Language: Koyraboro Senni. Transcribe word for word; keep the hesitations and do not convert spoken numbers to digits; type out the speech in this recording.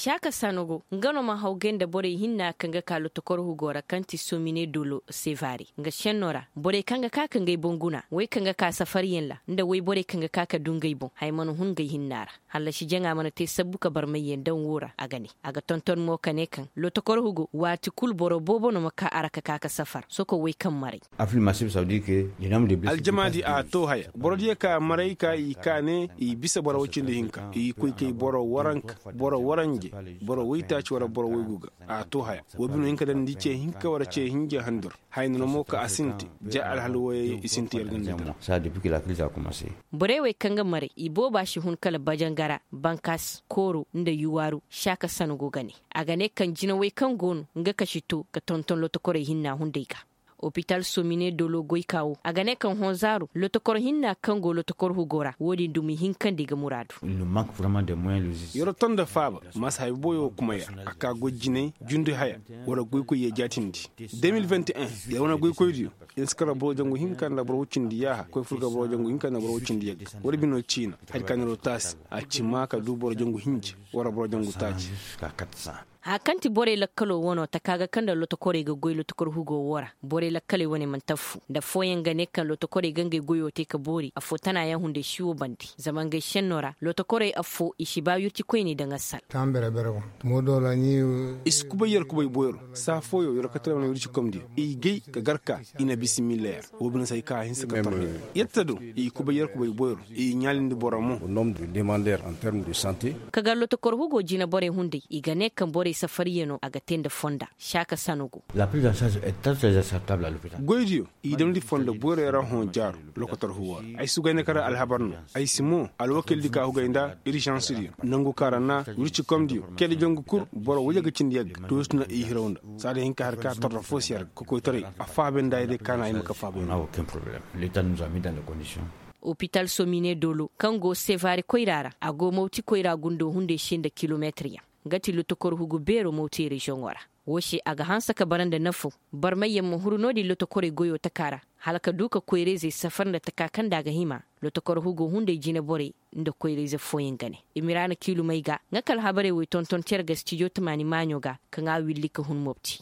Caaka sanogo nga no ma hawgay nda borey hinna kaŋ ga ka lotokor hugo ra kaŋ ti somine dolo sevare nga šenno ra. Borey kaŋ ga ka ka ngey boŋ guna wey kaŋ ga ka safariyaŋ ra nda wey borey kaŋ ga ka ka du ngey boŋ haya mana hun ngey hinna ra. Hallasi jaŋa mana te sabbu ka barmayyaŋ daŋ wo ra a ga ne. A ga tonton mo ka ne kaŋ lotokor hugo waati kulu boro boobo no ma ka a ra ka ka ka safar soko wey kaŋ maray. Aljamaadi a to haya boro diyo ka maray ka i ka ne i bisa boro woy cindi hinka i koy kay boro waranka, boro waranje, boro woytaaci wala boro woygu ga. A to haya wo bino hinka daŋ ni ce hinka wala ce hinja handur. Haya no no mo ka a sinti ja alhal woyey i sinti yar ganda. Borey wey kaŋ ga maray i booba si hun kala bajangara, bankas kooro nda yuwaaru. Saaka sano go ga ne a ga ne kaŋ jinawey kaŋ go no nga kasi to ga tonton lotokorey hinna hunday ga. Opital somine dolo goyka wo a ga ne kaŋ honzaaro lotokor hinna kaŋ go lotokor hugo ra wo-din dumi hinkandi ga muraadu. Yer wo ton nda faaba ma si hay boyo kuma yer a ka goy jinay jundi haya wala goykoy yee jaatindi. De mil vingt et un yer wane goykoydiyo yer si kar boro jangu hinka nda boro wuccindi yaaha koy fur ga boro jangu hinka nda boro wuccindi yagga. Wala bino ciina hari ka niro taasi a ci ma ka du boro jangu hinja wala boro jangu taaci. Haya kaŋ ti borey lakkaloo wanoo taka ga kaŋ nda lotokorey ga goy lotokor hugoo woo ra borey lakkaley wane mana taffu nda affooyaŋ ga ne kaŋ lotokorey ga ngey goyoo te ka boori affoo tanaayaŋ hunday si woo bande. Zama ngey šennoo ra lotokorey affoo i si ba wirci koyney daŋ assal. I si kubay yer kubay boyro saa fooyoo yer kate wane wirci komdiyo i gay ka gar ka i na bismilla yer. Woo bine se ay ka a hinsa ka torre yer ta do i kubay yer kubay boyro i ɲaalindi boro mo. Ka gar lotokor hugo jina borey hunday i ga ne kaŋ borey safariyanoo a ga te nda fonda. Saaka sano go. Goydiyo i damndi fonda boyro yaŋ ra hõ jaaru. Lokotor hugo ra ay si goy nda kara alhabar no. Ay si mo alwakildi ka hugay nda irzansdiyo nangu kaŋ ra na wircikomdiyo keda jangu kul boro waje ga cindi yagga toosi na i hiraw nda. Saada hinka hari ka torro fo si yar ga kokoytaray a faabay nda ay day kaana ay ma ka faabay no. Opital somine doolo kaŋ go sevare koyra ra a go mawti koyra gundo hunday se nda kilometir yaŋ. Nga ti lotokor hugu beero mawti reziyoŋo ra. Woo se a ga hanse ka bara nda nafo. Barmayyaŋ ma huru no-din lotokorey goyoo taka ra hala ka du ka koyra-izey safar nda taka kaŋ nda a ga hima. Lotokor hugo hunday jine borey nda koyra-ize fooyaŋ ga ne. Imiraana kiilumey ga nga ka alhabarey wey tonton cere ga stijo tamaani maaɲo ga kaŋ a willi ka hun mopti.